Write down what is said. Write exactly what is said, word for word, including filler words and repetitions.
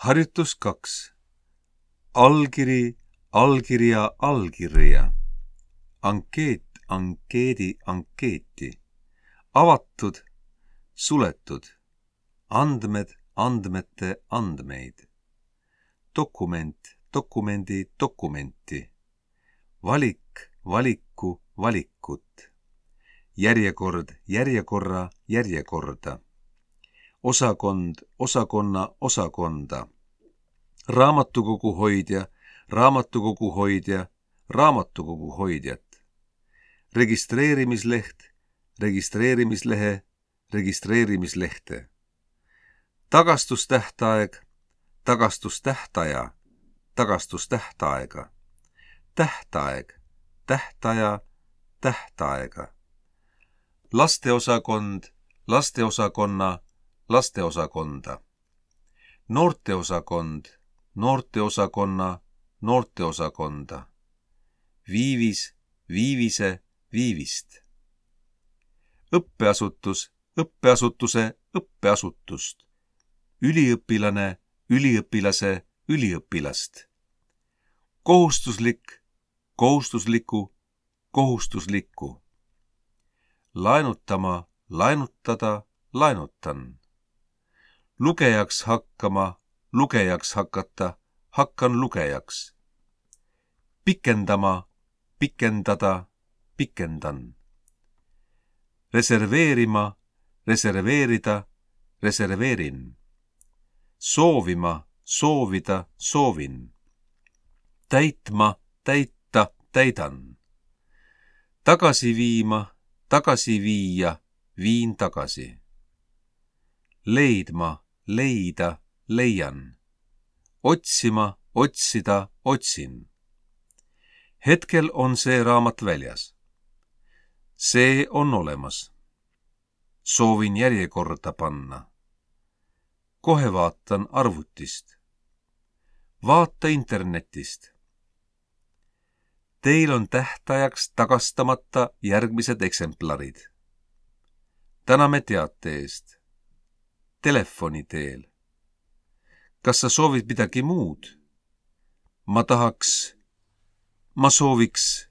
Harjutus kaks. Allkiri, allkirja, allkirja. Ankeet, ankeedi, ankeeti. Avatud, suletud. Andmed, andmete, andmeid. Dokument, dokumendi, dokumenti. Valik, valiku, valikut. Järjekord, järjekorra, järjekorda. Osakond, osakonna, osakonda. Raamatukogu hoidja, raamatukogu hoidja, raamatukogu hoidjat. Registreerimisleht, registreerimislehe, registreerimislehte. Tagastustähtaeg, tagastustähtaja, tagastustähtaega. Tähtaeg, tähtaja, tähtaega. Lasteosakond, lasteosakonna, lasteosakonda. Noorteosakond, noorteosakonna, noorteosakonda. Viivis, viivise, viivist. Õppeasutus, õppeasutuse, õppeasutust. Üliõpilane, üliõpilase, üliõpilast. Kohustuslik, kohustusliku, kohustuslikku. Laenutama, laenutada, laenutan. Lugejaks hakkama, lugejaks hakata, hakkan lugejaks. Pikendama, pikendada, pikendan. Reserveerima, reserveerida, reserveerin. Soovima, soovida, soovin. Täitma, täita, täidan. Tagasi viima, tagasi viia, viin tagasi. Leidma, leida, leian. Otsima, otsida, otsin. Hetkel on see raamat väljas. See on olemas. Soovin järjekorda panna. Kohe vaatan arvutist. Vaata internetist. Teil on tähtajaks tagastamata järgmised eksemplarid. Täname teate eest. Telefoni teel. Kas sa soovid midagi muud? Ma tahaks, ma sooviks